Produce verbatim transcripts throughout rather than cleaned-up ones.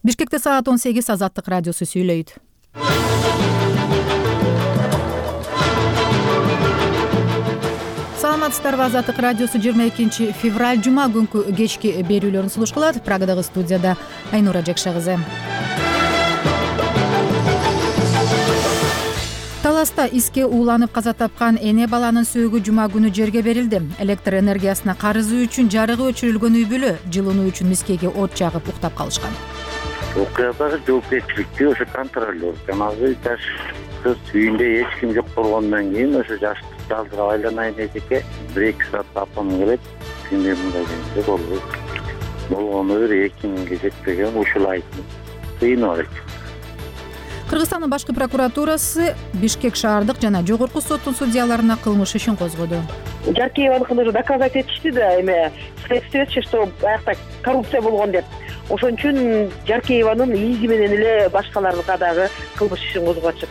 Бишкекте саат он сегиз. Азаттык радиосу сүйлөйт. Саламатсыздарбы? Азаттык радиосу жыйырма экинчи февраль жума күнкү кечки берүүлөрүн сулуш кылат. Прагадагы студияда Айнура Жакша кызы. Таласта иске ууланып каза тапкан эне баланын сөөгү жума күнү жерге берилди. Электр энергиясына карызы үчүн жарыгы өчүрүлгөн үй бүлө жылынуу үчүн мискеге от жагып уктап калышкан. Окуядагы жоопкерчиликти ошо контролер жанагы жаш кыз үйүндө эч ким жок болгондон кийин ошо жаш жалдырап айланайын эжеке бир эки саатта апам келет, сенде мындай кезде болду болгону бир эки миңге жетпеген ушул айтып кыйнап элек. Кыргызстандын башкы прокуратурасы Бишкек шаардык жана жогорку соттун судьяларына кылмыш ишин козгоду. Жаркееваныкын уже доказать этишти да, эме следствие, что аякта коррупция болгон деп. Ошон үчүн Жаркееванын изи менен эле башкаларга дагы кылмыш ишин козготушат.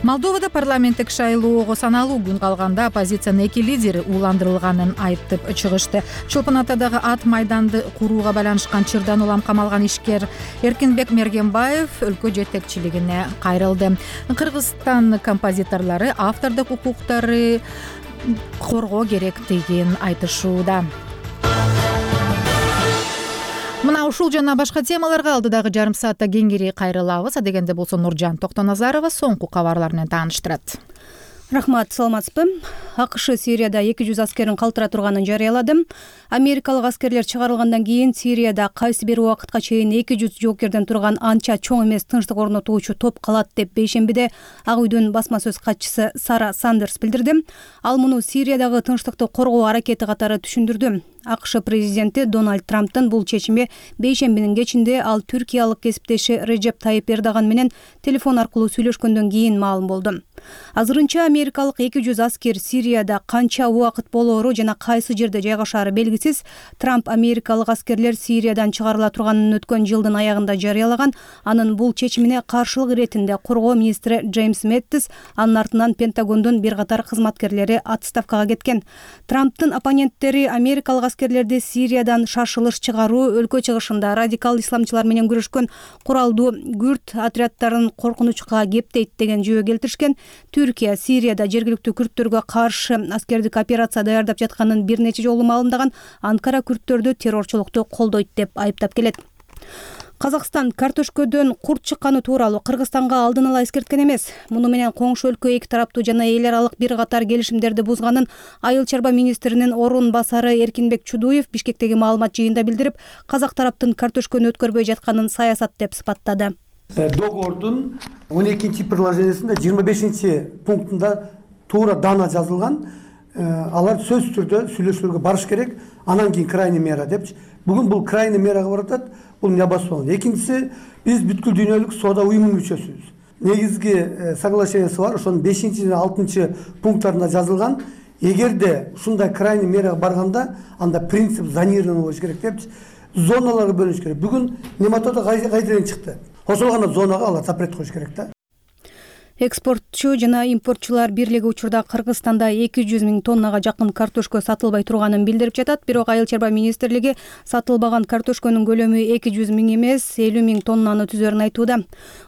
Молдовада парламенттик шайлоого саналуу күн калганда оппозициянын эки лидери ууландырылганын айтып чыгышты. Чолпон Атадагы ат майданды курууга байланышкан чырдан улам камалган ишкер Эркинбек Мергенбаев өлкө жетекчилигине кайрылды. Кыргызстан композиторлору автордук укуктары коргоо керектигин айтышууда. Мына ушул жана башка темаларга алдыдагы жарым саатта кеңири кайрылабыз. Адегенде болсо Нуржан Токтоназарова соңку кабарлар менен тааныштырат. Рахмат, саламатсызбы? АКШ Сирияда эки жүз аскерин калтыра турганын жарыялады. Америкалык аскерлер чыгарылгандан кийин Сирияда кайсы бир убакытка чейин эки жүз жоокерден турган анча чоң эмес тынчтык орнотуучу топ калат деп бейшембиде Ак үйдүн басма сөз катчысы Сара Сандерс билдирди. Ал муну Сириядагы тынчтыкты коргоо аракети катары түшүндүрдү. АКШ президенти Дональд Трамптын бул чечими бейшембинин кечинде ал түркиялык кесиптеши Режеп Тайип Эрдоган менен телефон аркылуу сүйлөшкөндөн кийин маалым болду. Азырынча америкалык эки жүз аскер Сирияда канча убакыт болоору жана кайсы жерде жайгашаары белгисиз. Трамп америкалык аскерлер Сириядан чыгарыла турганын өткөн жылдын аягында жарыялаган. Анын бул чечимине каршылык иретинде коргоо министри Джеймс Мэттис, анын артынан Пентагондун бир катар кызматкерлери отставкага кеткен. Трамптын оппоненттери америкалык аскерлерди Сириядан шашылыш чыгаруу, өлкө чыгышында радикал исламчылар менен күрөшкөн куралдуу күрд отряддарын коркунучка кептейт деген жөө келтиришкен. Түркия Сирияда жергиликтүү күрдтөргө каршы аскердик операция даярдап жатканын бир нече жолу маалымдаган. Анкара күрдтөрдү террорчулукту колдойт деп айыптап келет. Казакстан картөшкөдөн курт чыкканы тууралуу Кыргызстанга алдын ала эскерткен эмес. Муну менен коңшу өлкө эки тараптуу жана эл аралык бир катар келишимдерди бузганын айыл чарба министринин орун басары Эркинбек Чудуев Бишкектеги маалымат жыйында билдирип, казак тараптын картөшкөнү өткөрбөй жатканын саясат деп сыпаттады. Договордун он экинчи приложениесинде жыйырма бешинчи пунктунда туура дана жазылган. Алар сөз түрдө сүйлөшүүлөргө барыш керек, анан кийин крайний мера депчи. Бүгүн бул крайний мерага баратат. Бул небаспаган. Экинчиси, биз бүткүл дүйнөлүк соода уюмунун мүчөсүбүз. Негизги соглашениеси бар, ошонун бешинчи жана алтынчы пункттарында жазылган. Эгерде ушундай крайний мерага барганда, анда принцип зонирования болуш керек депчи. Зоналарга бөлүш керек. Бүгүн нематода кайдырен чыкты. Ошол гана зонага алар запрет коюш керек да. Экспортчу жана импортчулар бирлиги учурда Кыргызстанда эки жүз миң тоннага жакын картөшкө сатылбай турганын билдирип жатат. Бирок айыл чарба министрлиги сатылбаган картөшкөнүн көлөмү эки жүз миң эмес, элүү миң тоннаны түзөрүн айтууда.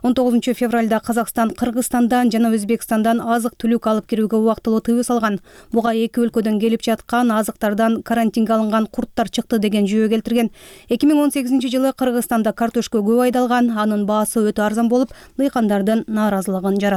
он тогузунчу февралда Казакстан Кыргызстандан жана Өзбекстандан азык-түлүк алып кирүүгө убактылуу тыюу салган. Буга эки өлкөдөн келип жаткан азыктардан карантинге алынган курттар чыкты деген жөө келтирген. эки миң он сегизинчи жылы Кыргызстанда картөшкө көп айдалган, анын баасы өтө арзан болуп, дыйкандардын нааразылыгын жаратты.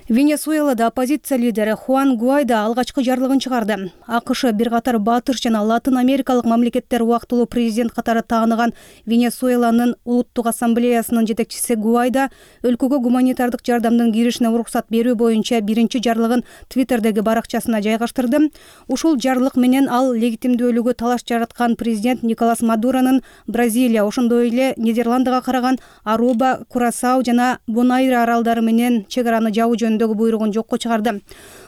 Венесуэлада оппозиция лидери Хуан Гуайдо алгачкы жарлыгын чыгарды. АКШ бир катар батыш жана Латын Америкалык мамлекеттер убактылуу президент катары тааныган Венесуэланын улуттук ассамблеясынын жетекчиси Гуайдо өлкөгө гуманитардык жардамдын киришине уруксат берүү боюнча биринчи жарлыгын Твиттердеги баракчасына жайгаштырды. Ушул жарлык менен ал легитимдүүлүгү талаш жараткан президент Николас Мадуронун Бразилия, ошондой эле Нидерландыга караган Аруба, Курасау жана Бонайра аралдары менен чек араны жабуу жөнүндөгү буйругун жокко чыгарды.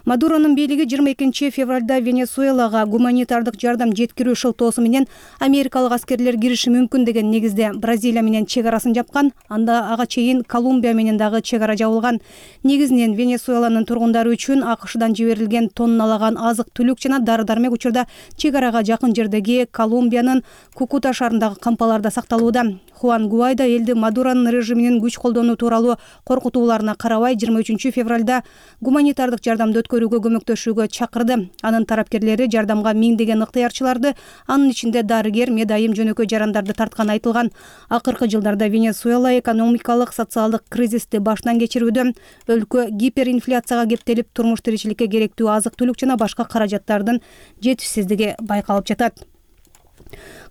Мадуронун бийлиги жыйырма экинчи февралда Венесуэлага гуманитардык жардам жеткирүү шылтоосу менен америкалык аскерлер кириши мүмкүн деген негизде Бразилия менен чек арасын жапкан. Анда ага чейин Колумбия менен дагы чек ара жабылган. Негизинен Венесуэланын тургундары үчүн АКШдан жиберилген тонналаган азык-түлүк жана дары-дармек учурда чек арага жакын жердеги Колумбиянын Кукута шаарындагы кампаларда сакталууда. Хуан Гуайдо элди Мадуронун режиминин күч колдонуу тууралуу коркутууларына карабай жыйырма үчүнчү февралда гуманитардык жардамды өткөрүүгө көмөктөшүүгө чакырды. Анын тарапкерлери жардамга миңдеген ыктыярчыларды, анын ичинде дарыгер, медайым, жөнөкөй жарандарды тартканы айтылган. Акыркы жылдарда Венесуэла экономикалык, социалдык кризисти баштан кечирүүдө. Өлкө гиперинфляцияга кептелип, турмуш тиричиликке керектүү азык-түлүк жана башка каражаттардын жетишсиздиги байкалып жатат.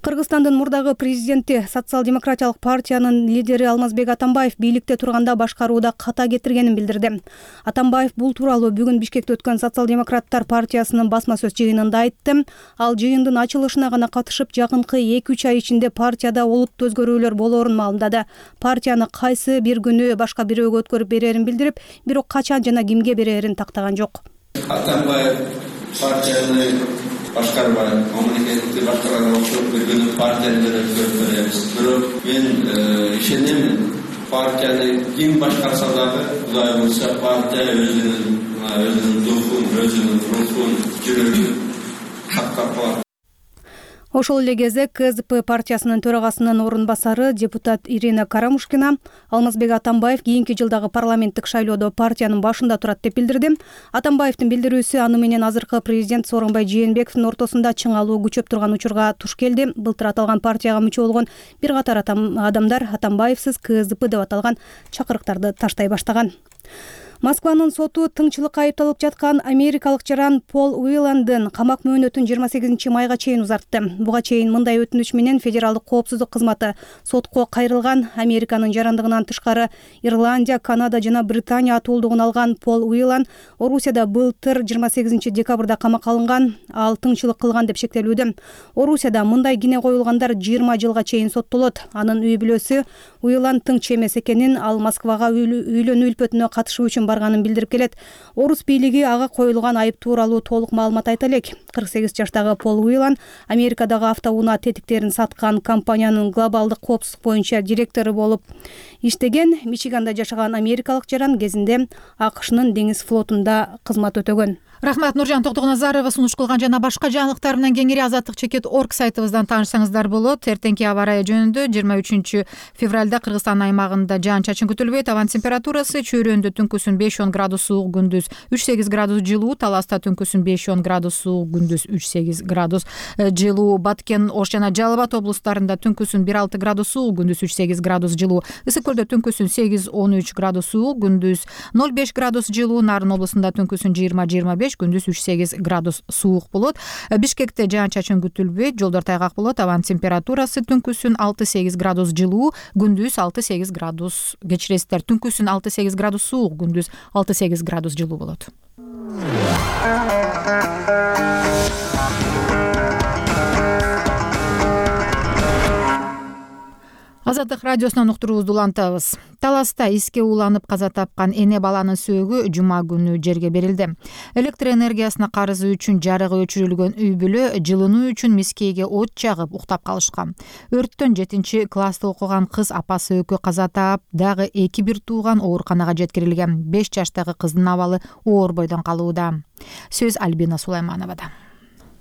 Кыргызстандын мурдагы президенти, социал-демократиялык партиянын лидери Алмазбек Атамбаев бийликте турганда башкарууда ката кетиргенин билдирди. Атамбаев бул тууралуу бүгүн Бишкекте өткөн социал-демократтар партиясынын басма сөз жыйынында айтты. Ал жыйындын ачылышына гана катышып, жакынкы эки үч ай ичинде партияда олуттуу өзгөрүүлөр болоорун маалымдады. Партияны кайсы бир күнү башка бирөөгө өткөрүп берерин билдирип, бирок качан жана кимге берерин тактаган жок. Атамбаев партияны башкарбай, мамлекетти башкарганга окшоп бир күнү партияны өткөрүп беребиз. Бирок мен ишенем, партияны ким башкарса дагы, Кудай буйрса, партия өзүнүн өзүнүн духун, өзүнүн рухун, жүрөгүн сактап калат. Ошол эле кезде КСДП партиясынын төрагасынын орун басары депутат Ирина Карамушкина Алмазбек Атамбаев кийинки жылдагы парламенттик шайлоодо партиянын башында турат деп билдирди. Атамбаевдин билдирүүсү аны менен азыркы президент Сооронбай Жээнбековдун ортосунда чыңалуу күчөп турган учурга туш келди. Былтыр аталган партияга мүчө болгон бир катар адамдар Атамбаевсиз КСДП деп аталган чакырыктарды таштай баштаган. Москванын соту тыңчылыкка айыпталып жаткан америкалык жаран Пол Уиландын камак мөөнөтүн жыйырма сегизинчи майга чейин узартты. Буга чейин мындай өтүнүч менен Федералдык коопсуздук кызматы сотко кайрылган. Американын жарандыгынан тышкары Ирландия, Канада жана Британия атуулдугун алган Пол Уиланд Орусияда былтыр жыйырма сегизинчи декабрда камакка алынган. Ал тыңчылык кылган деп шектелүүдө. Орусияда мындай кине коюлгандар жыйырма жылга чейин соттолот. Анын үй бүлөсү Уиланд тыңчы эмес экенин, ал Москвага үйлөнүү үлпөтүнө катышуу үчүн барганын билдирип келет. Орус бийлиги ага коюлган айып тууралуу толук маалымат айта элек. кырк сегиз жаштагы Пол Уиланд Америкадагы автоунаа тетиктерин саткан компаниянын глобалдык коопсуздук боюнча директору болуп иштеген. Мичиганда жашаган америкалык жаран кезинде АКШнын деңиз флотунда кызмат өтөгөн. Рахмат, Нуржан Токтогназарова сунуш кылган жана башка жаңылыктар менен кеңири азаттык чекит точка орг сайтыбыздан таанышсаңыздар болот. Эртеңки аба ырайы жөнүндө жыйырма үчүнчү февралда Кыргызстан аймагында жаан-чачын күтүлбөйт. Абан температурасы чөйрөндө түнкүсүн беш он градус суук, күндүз үч сегиз градус жылуу, Таласта түнкүсүн беш он градус суук, күндүз үч сегиз градус жылуу, Баткен, Ош жана Жалал Абад облустарында түнкүсүн бир алты градус суук, күндүз үч сегиз градус жылуу, Ысык көлдө түнкүсүн сегиз он үч градус суук, күндүз ноль беш градус жылуу, Нарын облусунда түнкүсүн жыйырма жыйырма беш, күндүз үч сегиз градус суук болот. Бишкекте жаан-чачын күтүлбөйт, жолдор тайгак болот. Абан температурасы түнкүсүн алты сегиз градус жылуу, күндүз алты сегиз градус, кечиресиздер, түнкүсүн алты сегиз градус суук, күндүз алты сегиз градус жылуу болот. Азаттык радиосунан уктуруубузду улантабыз. Таласта иске ууланып каза тапкан эне баланын сөөгү жума күнү жерге берилди. Электр энергиясына карызы үчүн жарыгы өчүрүлгөн үй бүлө жылынуу үчүн мискейге от жагып уктап калышкан. Өрттөн жетинчи класста окуган кыз апасы экөө каза таап, дагы эки бир тууган ооруканага жеткирилген. беш жаштагы кыздын абалы оор бойдон калууда. Сөз Альбина Сулаймановада.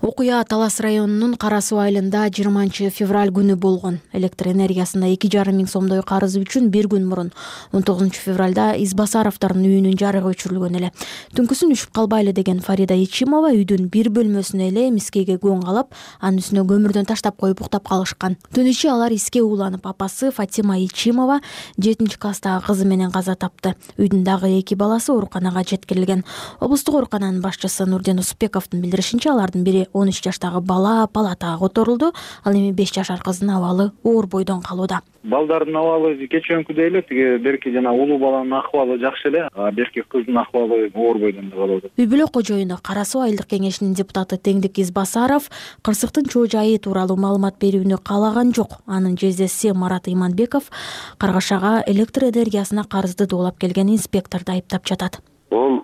Окуя Талас районунун Кара Суу айылында жыйырманчы февраль күнү болгон. Электр энергиясына эки жарым миң сомдой карызы үчүн бир күн мурун он тогузунчу февралда Избасаровдордун үйүнүн жарыгы өчүрүлгөн эле. Түнкүсүн үшүп калбайлы деген Фарида Ичимова үйдүн бир бөлмөсүнө эле мискейге көң калап, анын үстүнө көмүрдөн таштап коюп уктап калышкан. Түн ичи алар иске ууланып, апасы Фатима Ичимова жетинчи класстагы кызы менен каза тапты. Үйдүн дагы эки баласы ооруканага жеткирилген. Облустук оорукананын башчысы Нурден Усупбековдун билдиришинче, алардын бири он үч жаштагы бала палатага которулду. Ал эми беш жашар кыздын абалы оор бойдон калууда. Балдардын абалы кечөөкүдөй эле, тиги берки жана улуу баланын акыбалы жакшы эле, а берки кыздын акыбалы оор бойдон калууда. Үй бүлө кожоюну Кара Суу айылдык кеңешинин депутаты Теңдик Избасаров кырсыктын чоо жайы тууралуу маалымат берүүнү каалаган жок. Анын жездеси Марат Иманбеков Каргашага электр энергиясына карызды доолап келген инспекторду айыптап жатат. Ол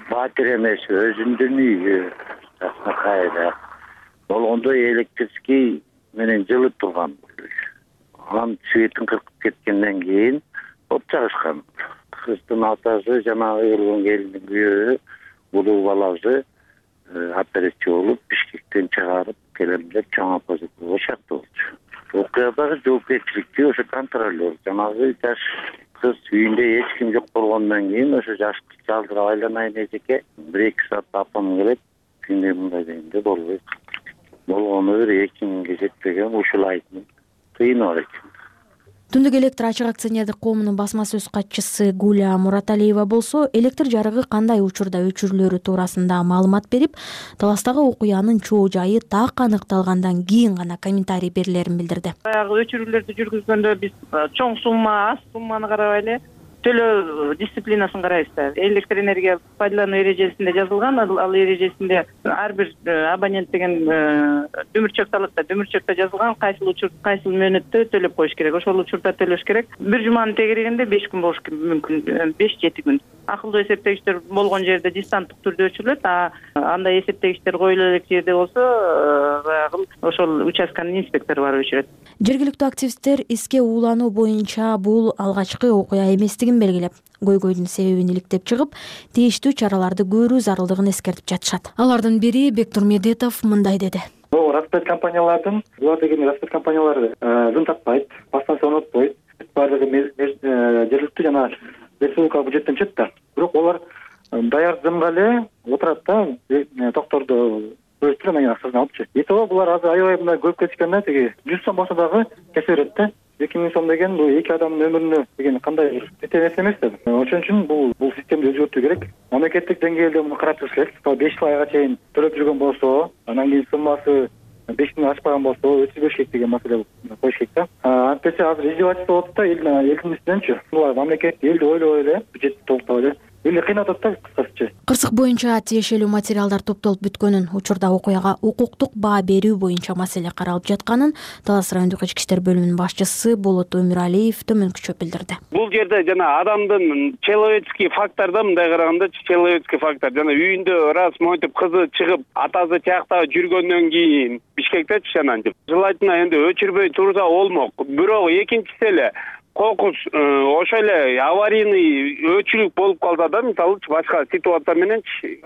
фатир эмес, өзүнүн үйү кайда болгондо электрический менен жылып турган. Анын светин кыркып кеткенден кийин от жагышкан. Кыздын атасы жанагы өлгөн келиндин күйөөсү улуу баласы операция болуп Бишкектен чыгарып келем деп чоң оппозицияга чакты болчу. Окуядагы жоопкерчиликти ошо контролер жанагы жаш кыз үйүндө эч ким жок болгондон кийин ошо жашты жалдырап айланайын эжеке бир эки саатта апам келет күндө мындай дегенде болбойт. Болгону бир эки миңге жетпеген ушул айдын тыйыны бар экен. Түндүк электр ачык акционердик коомунун басма сөз катчысы Гуля Мураталиева болсо электр жарыгы кандай учурда өчүрүлөрү туурасында маалымат берип, таластагы окуянын чоо жайы так аныкталгандан кийин гана комментарий берилерин билдирди. Баягы өчүрүүлөрдү жүргүзгөндө биз чоң сумма, аз сумманы карабай эле төлөө дисциплинасын карайбыз да. Электр энергия пайдалануу эрежесинде жазылган, ал эрежесинде ар бир абонент деген дүмүрчөк алат да, дүмүрчөктө жазылган кайсыл учур, кайсыл мөөнөттө төлөп коюш керек. Ошол учурда төлөш керек. Бир жуманын тегерегинде беш күн болуш мүмкүн, беш жети күн. Акылдуу эсептегичтер болгон жерде дистанттык түрдө өчүрүлөт, а андай эсептегичтер коюла элек жерде болсо, баягы ошол участканын инспектору барып өчүрөт. Жергиликтүү активисттер иске уулануу боюнча бул алгачкы окуя эместигин белгилеп, көйгөйдүн себебин иликтеп чыгып, тийиштүү чараларды көрүү зарылдыгын эскертип жатышат. Алардын бири Бектур Медетов мындай деди. Бул распет компаниялардын, булар деген распет компаниялары зын тартпайт, басмасы онотпойт. Баардыгы жергиликтүү жана республикалык бюджеттен чыкты да. Бирок олар даяр зымга эле отурат да, токторду өстүрүп анан акчасын алып чыгат. Итого булар азыр аябай мындай көп кетишкенде тиги жүз сом болсо дагы кесе берет да. эки миң сом деген бул эки адамдын өмүрүнө деген кандай жете нерсе эмес да. Ошон үчүн бул бул системени өзгөртүү керек. Мамлекеттик деңгээлде муну карап туруш керек. беш жыл айга чейин төлөп жүргөн болсо, анан кийин суммасы беш миң ашпаган болсо өчүрбөш керек деген маселе коюш керек да. Антесе азыр издевательство болуп атат да, элдин үстүнөнчү. Булар мамлекет элди ойлобой эле, бюджетти толуктабай эле элди кыйнап атат да, кыскачасы. Кырсык боюнча тиешелүү материалдар топтолуп бүткөнүн, учурда окуяга укуктук баа берүү боюнча маселе каралып жатканын Талас райондук ички иштер бөлүмүнүн башчысы Болот Өмүралиев төмөнкүчө билдирди. Бул жерде жана адамдын человеческий фактордо мындай караганда человеческий фактор жана үйүндө раз монтип кызы чыгып атасы тиякта жүргөндөн кийин Бишкектечи анантип желательно энди өчүрбөй турса болмок. Бирок экинчиси эле кокус ошо эле аварийный өчүрүк болуп калса да, мисалы башка ситуация менен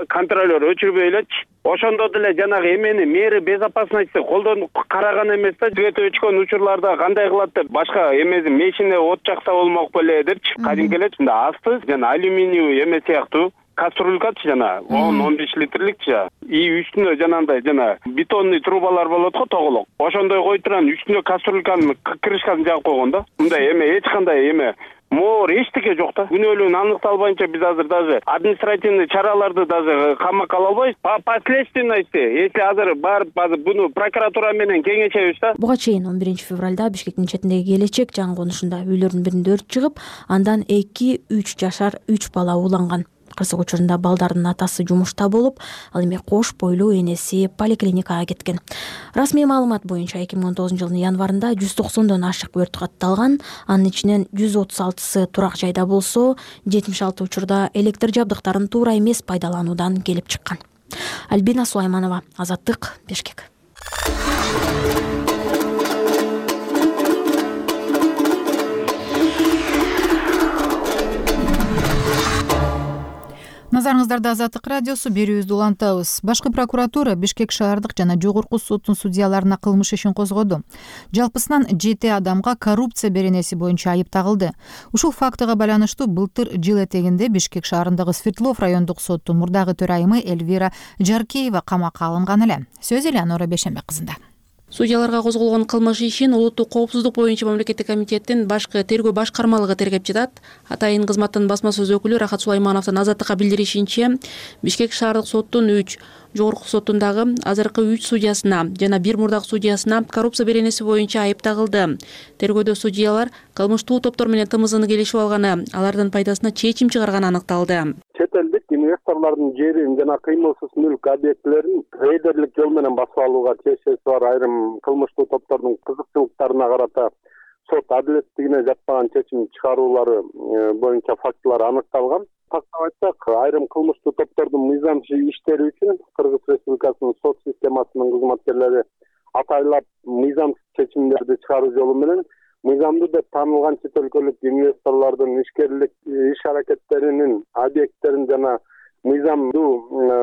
контролер өчүрбөй элечи, ошондо деле жанагы эмени меры безопасности колдонуп караган эмес да. Свет өчкөн учурларда кандай кылат деп башка эмеси мешине от жакса болмок беле депчи, кадимки элечи мында асты жана алюминиевый эме сыяктуу кастрюлькачы жана он он беш литрlikчи и үстүнө жанагындай жана бетонный трубалар болот го, тоголок. Ошондой кой турган үстүнө кастрюльканын крышкасын жаап койгон да. Мындай эме эч кандай эме моор эчтеке жок да. Күнөөлүүн аныкталбайынча биз азыр даже административный чараларды даже камакка ала албайбыз. По последственности, если азыр барып азыр буну прокуратура менен кеңешебиз да. Буга чейин он биринчи февралда Бишкектин четиндеги Келечек жаңы конушунда үйлөрдүн биринде өрт чыгып, андан эки үч жашар үч бала ууланган. Кырсык учурунда балдардын атасы жумушта болуп, ал эми кош бойлуу энеси поликлиникага кеткен. Расмий маалымат боюнча эки миң он тогузунчу жылдын январында жүз токсондон ашык өрт катталган, анын ичинен жүз отуз алтысы турак жайда болсо, жетимиш алты учурда электр жабдыктарын туура эмес пайдалануудан келип чыккан. Альбина Сулайманова, Азаттык, Бишкек. Назарыңыздарда Азаттык радиосу, берүүбүздү улантабыз. Башкы прокуратура Бишкек шаардык жана жогорку соттун судьяларына кылмыш ишин козгоду. Жалпысынан жети адамга коррупция беренеси боюнча айып тагылды. Ушул фактыга байланыштуу былтыр жыл этегинде Бишкек шаарындагы Свердлов райондук соттун мурдагы төрайымы Эльвира Жаркеева камакка алынган эле. Сөз Элеонора Бешенбе кызында. Судьяларга козголгон кылмыш ишин улуттук коопсуздук боюнча мамлекеттик комитеттин башкы тергөө башкармалыгы тергеп жатат. Атайын кызматтын басма сөз өкүлү Рахат Сулаймановдун Азаттыкка билдиришинче, Бишкек шаардык соттун үч, жогорку соттундагы азыркы үч судьясына жана бир мурдагы судьясына коррупция беренеси боюнча айып тагылды. Тергөөдө судьялар кылмыштуу топтор менен тымызын келишип алганы, алардын пайдасына чечим чыгарганы аныкталды. Чет элдик инвесторлордун жерин жана кыймылсыз мүлк объектилерин рейдерлик жол менен басып алууга чечеси бар айрым кылмыштуу топтордун кызыкчылыктарына карата сот адилеттигине жатпаган чечим чыгаруулары боюнча фактылар аныкталган. Тактап айтсак, айрым кылмыштуу топтордун мыйзамчы иштери үчүн Кыргыз Республикасынын сот системасынын кызматкерлери атайлап мыйзамсыз чечимдерди чыгаруу жолу менен мыйзамдуу деп таанылган чет өлкөлүк инвесторлордун ишкерлик иш аракеттеринин объекттерин жана мыйзамдуу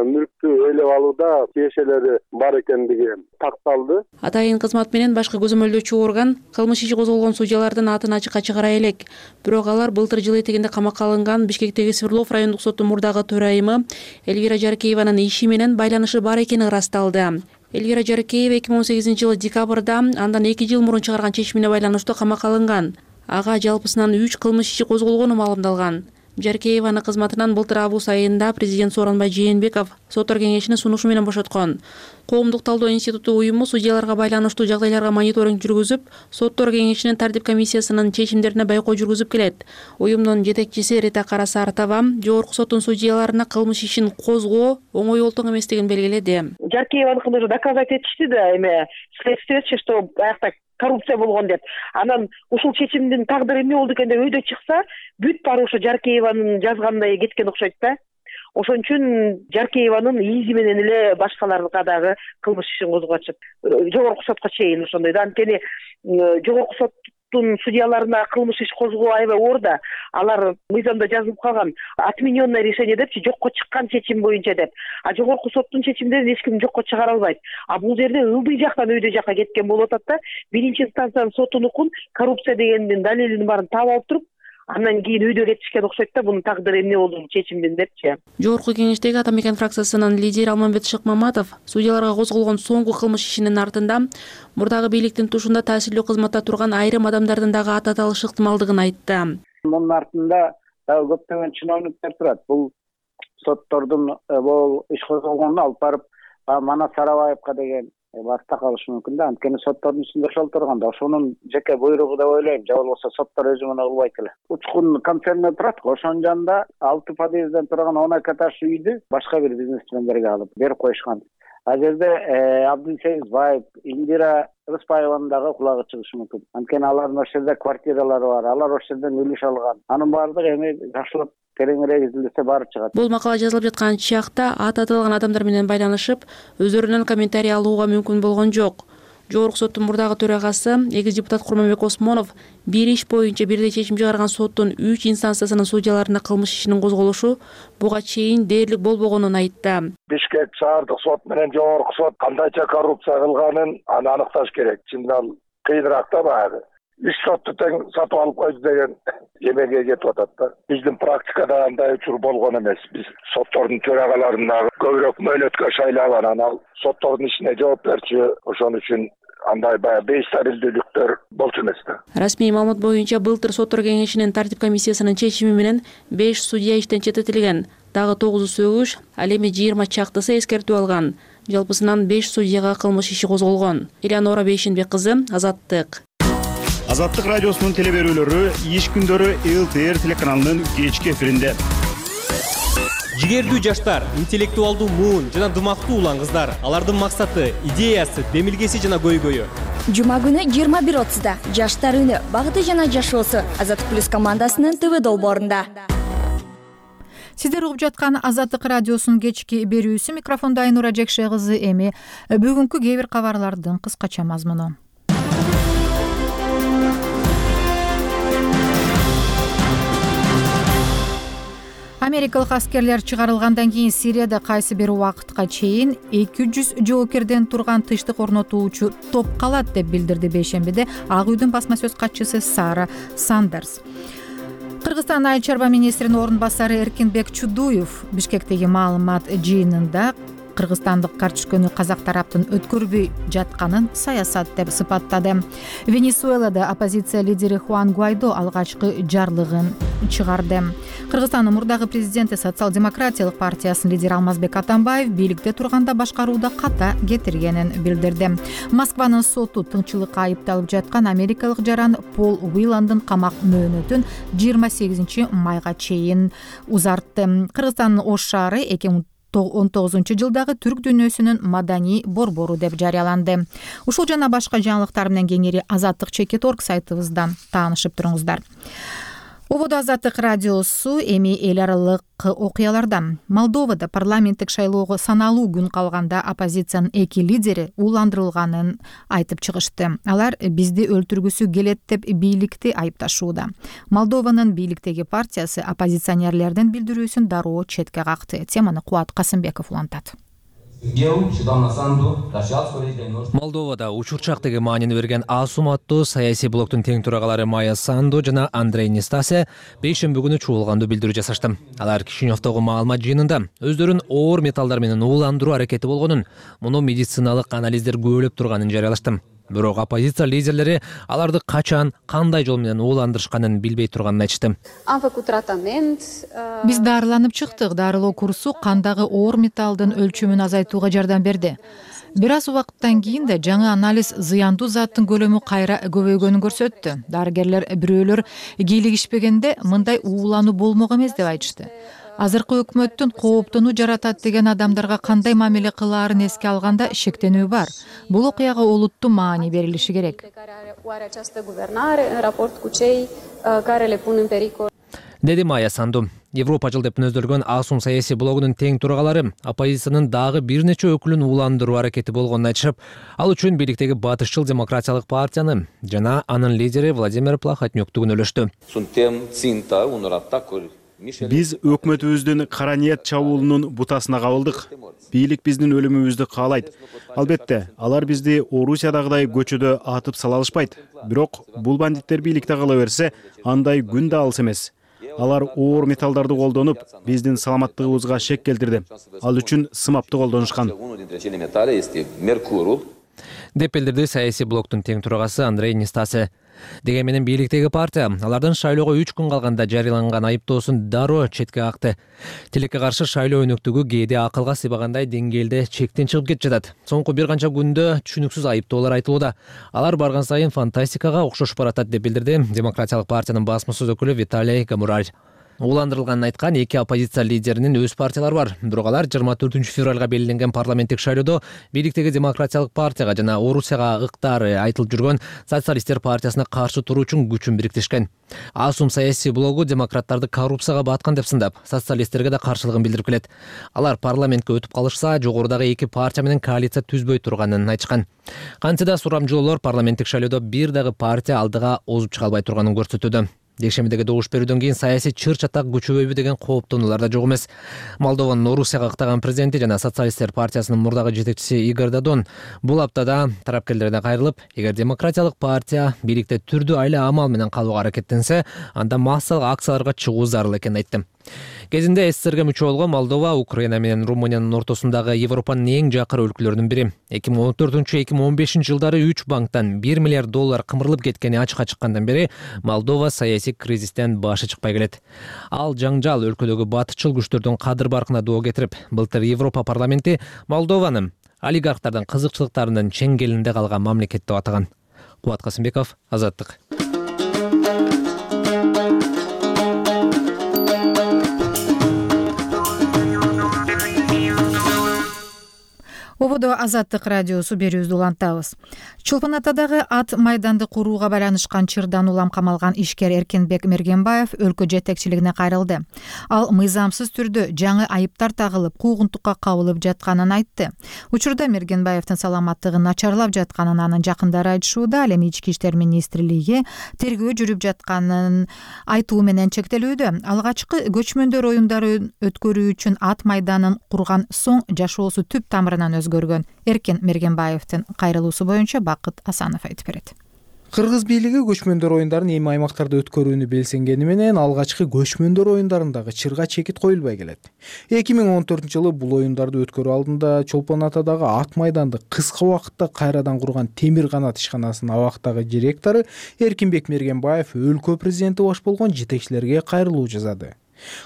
мүлктү ээлеп алууда тиешелери бар экендиги такталды. Атайын кызмат менен башкы көзөмөлдөөчү орган кылмыш иши козголгон судьялардын атын ачыкка чыгара элек. Бирок алар былтыр жыл этегинде камакка алынган Бишкектеги Свердлов райондук соттун мурдагы төрайымы Эльвира Жаркееванын иши менен байланышы бар экени ырасталды. Эльвира Жаркеева эки миң он сегизинчи жылы декабрда андан эки жыл мурун чыгарган чечимине байланыштуу камакка алынган. Ага жалпысынан үч кылмыш иши козголгону маалымдалган. Жаркееваны кызматынан былтыр август айында президент Сооронбай Жээнбеков соттор кеңешинин сунушу менен бошоткон. Коомдук талдоо институту уюму судьяларга байланыштуу жагдайларга мониторинг жүргүзүп, соттор кеңешинин тартип комиссиясынын чечимдерине байкоо жүргүзүп келет. Уюмдун жетекчиси Рита Карасартова жогорку соттун судьяларына кылмыш ишин козгоо оңой олтоң эместигин белгиледи. Жаркееваныкын уже доказать этишти да, эме следствиечи, что аякта коррупция болгон деп. Анан ушул чечимдин тагдыры эмне болду экен деп өйдө чыкса, бүт баары ошо Жаркееванын жазгандай кеткен окшойт да. Ошон үчүн Жаркееванын изи менен эле башкаларга дагы кылмыш ишин козгочу. Жогорку сотко чейин ошондой да. Анткени жогорку соттун судьяларына кылмыш иш козгоо аябай оор да. Алар мыйзамда жазылып калган отмененное решение депчи, жокко чыккан чечим боюнча деп. А жогорку соттун чечимдерин эч ким жокко чыгара албайт. А бул жерде ылдый жактан өйдө жакка кеткен болуп атат да. Биринчи инстанциянын сотунукун коррупция дегендин далилин баарын таап алып туруп, андан кийин өйдө кетишкен окшойт да, бунун тагдыры эмне болду чечимдин депчи. Жогорку кеңештеги Ата Мекен фракциясынын лидери Алмамбет Шыкмаматов судьяларга козголгон соңку кылмыш ишинин артында мурдагы бийликтин тушунда таасирлүү кызматта турган айрым адамдардын дагы аты аталышы ыктымалдыгын айтты. Мунун артында дагы көптөгөн чиновниктер турат. Бул соттордун бул иш козголгонуна алып барып Манас Сарабаевка деген баста калышы мүмкүн да. Анткени соттордун ичинде ошол турганда ошонун жеке буйругу деп ойлойм. Же болбосо соттор өзү муну кылбайт эле. Учкун концерни турат, ошонун жанында алты подъезден турган он эки этаж үйдү башка бир бизнесмендерге алып берип коюшкан. А жерде Абдусейиз Баев, Индира Рыспаеванын дагы кулагы чыгышы мүмкүн. Анткени алардын ошол жерде квартиралары бар, алар ошол жерден үлүш алган. Анын баардыгы эми жакшылап тереңирээк изилдесе баары чыгат. Бул макала жазылып жаткан чакта аты аталган адамдар менен байланышып, өздөрүнүн комментарий алууга мүмкүн болгон жок. Жогорку соттун мурдагы төрагасы эгиз депутат Курманбек Осмонов бир иш боюнча бирдей чечим чыгарган соттун үч инстанциясынын судьяларына кылмыш ишинин козголушу буга чейин дээрлик болбогонун айтты. Бишкек шаардык сот менен жогорку сот кандайча коррупция кылганын аны аныкташ керек. Чындап ал кыйыныраак да баягы. Үч сотту тең сатып алып койду деген эмеге кетип атат да. Биздин практикада андай учур болгон эмес. Биз соттордун төрагаларын дагы көбүрөөк мөөнөткө шайлаган, анан соттордун ишине жооп берчү, ошон үчүн андай баягы бейстабилдүүлүктөр болчу эмес да. Расмий маалымат боюнча былтыр соттор кеңешинин тартип комиссиясынын чечими менен беш судья иштен четтетилген. Дагы тогузу сөгүш, ал эми жыйырма чактысы эскертүү алган. Жалпысынан беш судьяга кылмыш иши козголгон. Элеонора Бейшенбек кызы, Азаттык. Азаттык радиосунун телеберүүлөрү иш күндөрү эл тэ эр телеканалынын кечки эфиринде. Жигердүү жаштар, интеллектуалдуу муун жана дымактуу улан кыздар. Алардын максаты, идеясы, демилгеси жана көйгөйү. Жума күнү жыйырма бир отузда жаштар үнү, багыты жана жашоосу Азаттык плюс командасынын тэ вэ долбоорунда. Сиздер угуп жаткан Азаттык радиосунун кечки берүүсү, микрофондо Айнура Жекше кызы. Эми бүгүнкү кээ бир кабарлардын кыскача мазмуну. Америкалык аскерлер чыгарылгандан кийин Сирияда кайсы бир убакытка чейин эки жүз жоокерден турган тынчтык орнотуучу топ калат деп билдирди бейшембиде Ак үйдүн басма сөз катчысы Сара Сандерс. Кыргызстан айыл чарба министринин орун басары Эркинбек Чудуев Бишкектеги маалымат жыйынында кыргызстандык картишкөнү казак тараптын өткөрбөй жатканын саясат деп сыпаттады. Венесуэлада оппозиция лидери Хуан Гуайдо алгачкы жарлыгын чыгарды. Кыргызстандын мурдагы президенти Социал-демократиялык партиясынын лидери Алмазбек Атамбаев бийликте турганда башкарууда ката кетиргенин билдирди. Москванын соту тыңчылыкка айыпталып жаткан америкалык жаран Пол Уиландын камак мөөнөтүн жыйырма сегизинчи майга чейин узартты. Кыргызстандын Ош шаары эки миң он тогузунчу жылдагы түрк дүйнөсүнүн маданий борбору деп жарыяланды. Ушул жана башка жаңылыктар менен кеңири азаттык чекит орг сайтыбыздан таанышып туруңуздар. Ободо Азаттык радиосу эми эл аралык окуялардан. Молдовада парламенттик шайлоого саналуу күн калганда оппозициянын эки лидери ууландырылганын айтып чыгышты. Алар бизди өлтүргүсү келет деп бийликти айыпташууда. Молдованын бийликтеги партиясы оппозиционерлердин билдирүүсүн дароо четке какты. Теманы Кубат Касымбеков улантат. Молдовада учурчактыгы маанини берген Асум аттуу саясий блоктун тең турагалары Майя Санду жана Андрей Нестасе бейшемби күнү чуулгандуу билдирүү жасашты. Алар Кишиневдогу маалымат жыйынында өздөрүн оор металлдар менен ууландыруу аракети болгонун, муну медициналык анализдер күбөлөп турганын жарыялашты. Бирок оппозиция лидерлери аларды качан, кандай жол менен ууландырышканын билбей турганын айтышты. Биз дарыланып чыктык. Дарылоо курсу кандагы оор металлдын өлчөмүн азайтууга жардам берди. Бир аз убакыттан кийин да жаңы анализ зыяндуу заттын көлөмү кайра көбөйгөнүн көрсөттү. Дарыгерлер бирөөлөр кийлигишпегенде мындай уулануу болмок эмес деп айтышты. Азыркы өкмөттүн кооптонуу жаратат деген адамдарга кандай мамиле кылаарын эске алганда шектенүү бар. Бул окуяга олуттуу маани берилиши керек. Деди Майя Санду. Европа жыл деп мүнөздөлгөн Асум саясий блогунун тең турагалары оппозициянын дагы бир нече өкүлүн ууландыруу аракети болгонун айтышып, ал үчүн бийликтеги батышчыл демократиялык партияны жана анын лидери Владимир Плахотнюкту күнөөлөштү. Биз өкмөтүбүздүн кара ниет чабуулунун бутасына кабылдык. Бийлик биздин өлүмүбүздү каалайт. Албетте, алар бизди Орусиядагыдай көчөдө атып сала алышпайт. Бирок бул бандиттер бийликте кала берсе, андай күн да алыс эмес. Алар оор металлдарды колдонуп, биздин саламаттыгыбызга шек келтирди. Ал үчүн сымапты колдонушкан. Деп билдирди саясий блоктун тең турагасы Андрей Нестасе. Деген менен бийликтеги партия алардын шайлоого үч күн калганда жарыяланган айыптоосун дароо четке какты. Тилекке каршы шайлоо өнөктүгү кээде акылга сыйбагандай деңгээлде чектен чыгып кетип жатат. Соңку бир канча күндө түшүнүксүз айыптоолор айтылууда. Алар барган сайын фантастикага окшошуп баратат деп билдирди Демократиялык партиянын басма сөз өкүлү Виталий Гамураль. Ууландырылганын айткан эки оппозиция лидеринин өз партиялары бар. Бирок алар жыйырма төртүнчү февралга белгиленген парламенттик шайлоодо бийликтеги Демократиялык партияга жана Орусияга ыктары айтылып жүргөн Социалисттер партиясына каршы туруу үчүн күчүн бириктишкен. Асум саясий блогу демократтарды коррупцияга баткан деп сындап, социалисттерге да каршылыгын билдирип келет. Алар парламентке өтүп калышса, жогорудагы эки партия менен коалиция түзбөй турганын айтышкан. Кантсе да сурамжылоолор парламенттик шайлоодо бир дагы партия алдыга озуп чыга албай турганын көрсөтүүдө. Жекшембидеги добуш берүүдөн кийин саясий чыр-чатак күчөбөйбү деген кооптонуулар да жок эмес. Молдованын Орусияга ыктаган президенти жана Социалисттер партиясынын мурдагы жетекчиси Игорь Додон бул аптада тарапкерлерден кайрылып, эгер Демократиялык партия бийликте түрдүү айла амал менен калууга аракеттенсе, анда массалык акцияларга чыгуу зарыл экенин айтты. Кезинде СССРге мүчө болгон Молдова Украина менен Румыниянын ортосундагы Европанын эң жакыр өлкөлөрүнүн бири. эки миң он төртүнчү эки миң он бешинчи жылдары үч банктан бир миллиард доллар кымырылып кеткени ачыкка чыккандан бери Молдова саясий кризистен башы чыкпай келет. Ал жаңжал өлкөдөгү батышчыл күчтөрдүн кадыр баркына доо кетирип, былтыр Европа парламенти Молдованы олигархтардын кызыкчылыктарынын чеңгелинде калган мамлекет деп атаган. Кубат Касымбеков, Азаттык. Ободо Азаттык радиосу берүүбүздү улантабыз. Чолпон Атадагы ат майданды курууга байланышкан чырдан улам камалган ишкер Эркинбек Мергенбаев өлкө жетекчилигине кайрылды. Ал мыйзамсыз түрдө жаңы айыптар тагылып, куугунтукка кабылып жатканын айтты. Учурда Мергенбаевдин саламаттыгы начарлап жатканын анын жакындары айтышууда. Ал эми ички иштер министрлиги тергөө жүрүп жатканын айтуу менен чектелүүдө. Алгачкы көчмөндөр оюндарын өткөрүү үчүн ат майданын курган соң жашоосу түп тамырынан өзгөргөн. Эркин Мергенбаевдин кайрылуусу боюнча Бакыт Асанов айтып берет. Кыргыз бийлиги көчмөндөр оюндарын эми аймактарда өткөрүүнү белсенгени менен алгачкы көчмөндөр оюндарындагы чырга чекит коюлбай келет. эки миң он төртүнчү жылы бул оюндарды өткөрүү алдында Чолпон Атадагы ат майданды кыска убакытта кайрадан курган Темир канат ишканасынын абактагы директору Эркинбек Мергенбаев өлкө президенти баш болгон жетекчилерге кайрылуу жасады.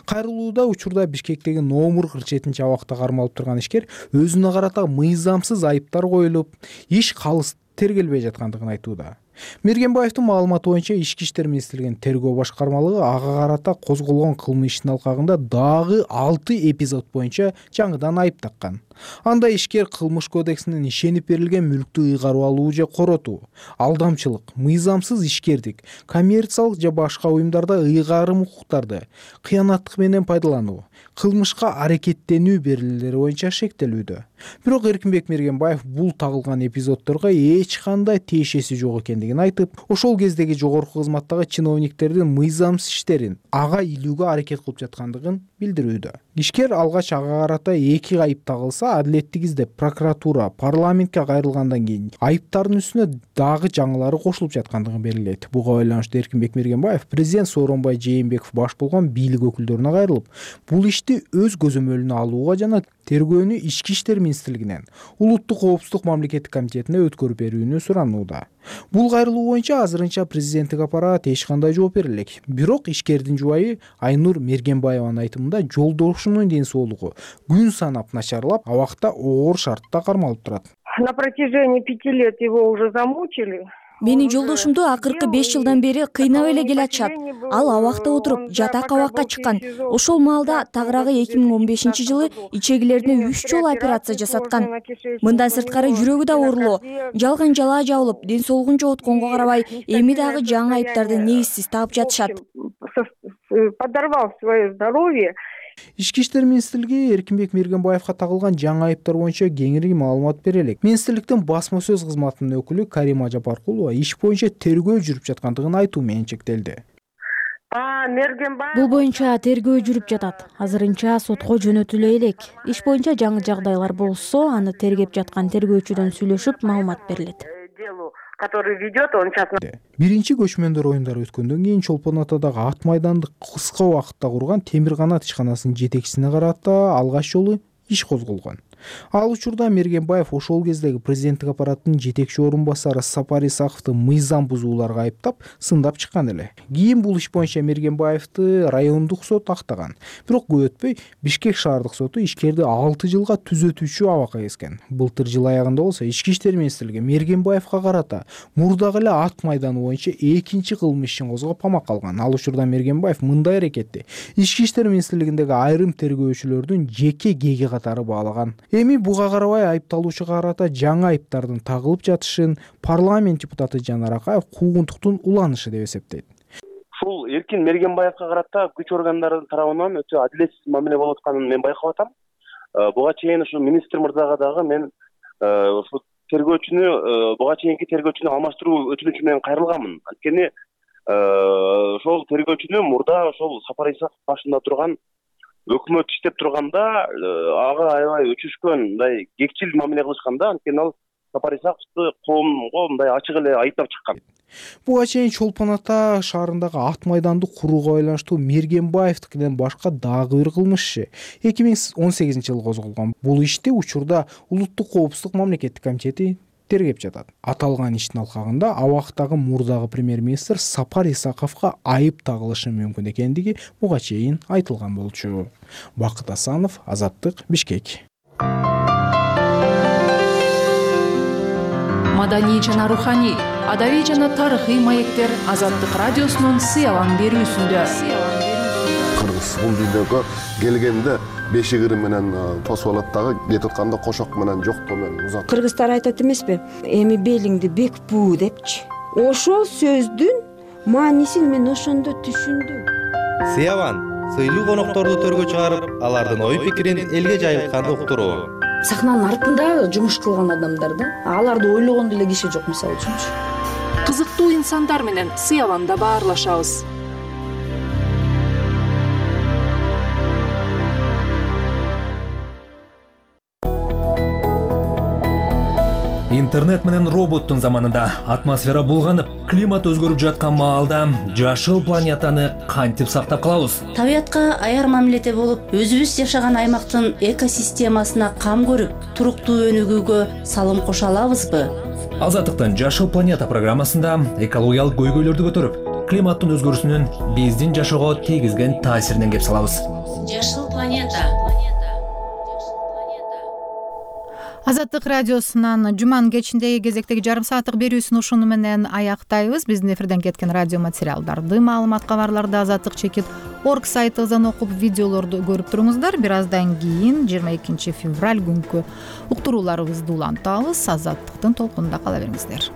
Кайрылууда учурда Бишкектеги номер кырк жетинчи абакта кармалып турган ишкер өзүнө карата мыйзамсыз айыптар коюлуп, иш калыс тергелбей жаткандыгын айтууда. Мергенбаевдин маалыматы боюнча Ички иштер министрлигинин тергөө башкармалыгы ага карата козголгон кылмыш ишин алкагында дагы алты эпизод боюнча жаңыдан айып таккан. Анда ишкер кылмыш кодексинин ишенип берилген мүлктү ыйгарып алуу же коротуу, алдамчылык, мыйзамсыз ишкердик, коммерциялык же башка уюмдарда ыйгарым укуктарды, кыянаттык менен пайдалануу, кылмышка аракеттенүү берилүүлери боюнча шектелүүдө. Бирок Эркинбек Мергенбаев бул тагылган эпизоддорго эч кандай тиешеси жок экендигин айтып, ошол кездеги жогорку кызматтагы чиновниктердин мыйзамсыз иштерин ага илүүгө аракет кылып жаткандыгын билдирүүдө. Ишкер алгач ага карата эки айып тагылса, адилеттик издеп прокуратура парламентке кайрылгандан кийин айыптардын үстүнө дагы жаңылары кошулуп жаткандыгын белгилейт. Буга байланыштуу Эркинбек Мергенбаев президент Сооронбай Жээнбеков баш болгон бийлик өкүлдөрүнө кайрылып, бул ишти өз көзөмөлүнө алууга жана тергөөнү Ички иштер министрлигинен улуттук коопсуздук мамлекеттик комитетине өткөрүп берүүнү суранууда. Бул кайрылуу боюнча азырынча президенттик аппарат эч кандай жооп бере элек. Бирок ишкердин жубайы Айнур Мергенбаеванын айтымында жолдошунун ден соолугу күн санап начарлап, абакта оор шартта кармалып турат. На протяжении пяти лет его уже замучили. Менин жолдошумду акыркы беш жылдан бери кыйнап эле келатышат. Ал абакта отуруп жатак абакка чыккан. Ошол маалда тагыраагы эки миң он бешинчи жылы ичегилерине үч жолу операция жасаткан. Мындан сырткары жүрөгү да оорулоо, жалган жалаа жабылып, ден соолугун жоготконго карабай, эми дагы жаңы айыптарды негизсиз таап жатышат. Подорвал свое здоровье. Ички иштер министрлиги Эркинбек Мергенбаевга тагылган жаңы айыптар боюнча кеңири маалымат бере элек. Министрликтин басма сөз кызматынын өкүлү Карима Жапаркулова иш боюнча тергөө жүрүп жаткандыгын айтуу менен чектелди. Бул боюнча тергөө жүрүп жатат. Азырынча сотко жөнөтүлө элек. Иш боюнча жаңы жагдайлар болсо, аны тергеп жаткан тергөөчүдөн сүйлөшүп маалымат берилет. Который ведет, он сейчас... Биринчи көчмөндөр оюндары өткөндөн кийин Чолпон Атадагы ат майданды кыска убакытта курган Темир канат ишканасынын жетекчисине карата алгач жолу иш козголгон. Ал учурда Мергенбаев ошол кездеги президенттик аппараттын жетекчи орун басары Сапар Исаковду мыйзам бузууларга айыптап, сындап чыккан эле. Кийин бул иш боюнча Мергенбаевди райондук сот актаган. Бирок көп өтпөй Бишкек шаардык соту ишкерди алты жылга түзөтүүчү абакка кескен. Былтыр жыл аягында болсо Ички иштер министрлиги Мергенбаевга карата мурдагы эле ат майданы боюнча экинчи кылмыш ишин козгоп камакка алган. Ал учурда Мергенбаев мындай аракетти Ички иштер министрлигиндеги айрым тергөөчүлөрдүн жеке кеги катары баалаган. Эми буга карабай айыпталуучуга карата жаңы айыптардын тагылып жатышын парламент депутаты Жанар Акаев куугунтуктун уланышы деп эсептейт. Ушул Эркин Мергенбаевга карата күч органдарынын тарабынан өтө адилетсиз мамиле болуп атканын мен байкап атам. Буга чейин ушу министр мырзага дагы мен ушу тергөөчүнү, буга чейинки тергөөчүнү алмаштыруу өтүнүчү менен кайрылганмын. Анткени ошол тергөөчүнү мурда ошол Сапар Исаков башында турган өкмөт иштеп турганда ага аябай өчүшкөн, мындай кекчил мамиле кылышкан да, анткени ал Сапар Исаковду коомго мындай ачык эле айыптап чыккан. Буга чейин Чолпон Ата шаарындагы ат майданды курууга байланыштуу Мергенбаевдикинен башка дагы бир кылмыш иши эки миң он сегизинчи жылы козголгон. Бул ишти учурда улуттук коопсуздук мамлекеттик комитети тергеп жатат. Аталган иштин алкагында абактагы мурдагы премьер-министр Сапар Исаковго айып тагылышы мүмкүн экендиги буга чейин айтылган болчу. Бакыт Асанов, Азаттык, Бишкек. Маданий жана руханий, адабий жана тарыхый маектер Азаттык радиосунун сыялан берүүсүндө. Кыргыз бул дүйнөгө келгенде бешик ыры менен тосуп алат дагы, кетип атканда кошок менен жоктоо менен узат. Кыргыздар айтат эмеспи? Эми белиңди бек буу депчи. Ошол сөздүн маанисин мен ошондо түшүндүм. Сыяван сыйлуу конокторду төргө чыгарып, алардын ой пикирин элге жайылтканды уктуруу. Сахнанын артында жумуш кылган адамдар да, аларды ойлогон деле киши жок, мисалы үчүнчү. Кызыктуу инсандар менен Сыяванда баарлашабыз. Интернет менен роботтун заманында атмосфера булганып, климат өзгөрүп жаткан маалда жашыл планетаны кантип сактап калабыз? Табиятка аяр мамиледе болуп, өзүбүз жашаган аймактын экосистемасына кам көрүп, туруктуу өнүгүүгө салым кошо алабызбы? Азаттыктын Жашыл планета программасында экологиялык көйгөйлөрдү көтөрүп, климаттын өзгөрүүсүнүн биздин жашоого тийгизген таасиринен кеп салабыз. Жашыл планета. Азаттык радиосунан жуманын кечиндеги кезектеги жарым сааттык берүүсүн ушуну менен аяктайбыз. Биздин эфирден кеткен радио материалдарды, маалымат кабарларды азаттык чекит орг сайтыбыздан окуп, видеолорду көрүп туруңуздар. Бир аздан кийин жыйырма экинчи февраль күнкү уктурууларыбызды улантабыз. Азаттыктын толкунунда кала бериңиздер.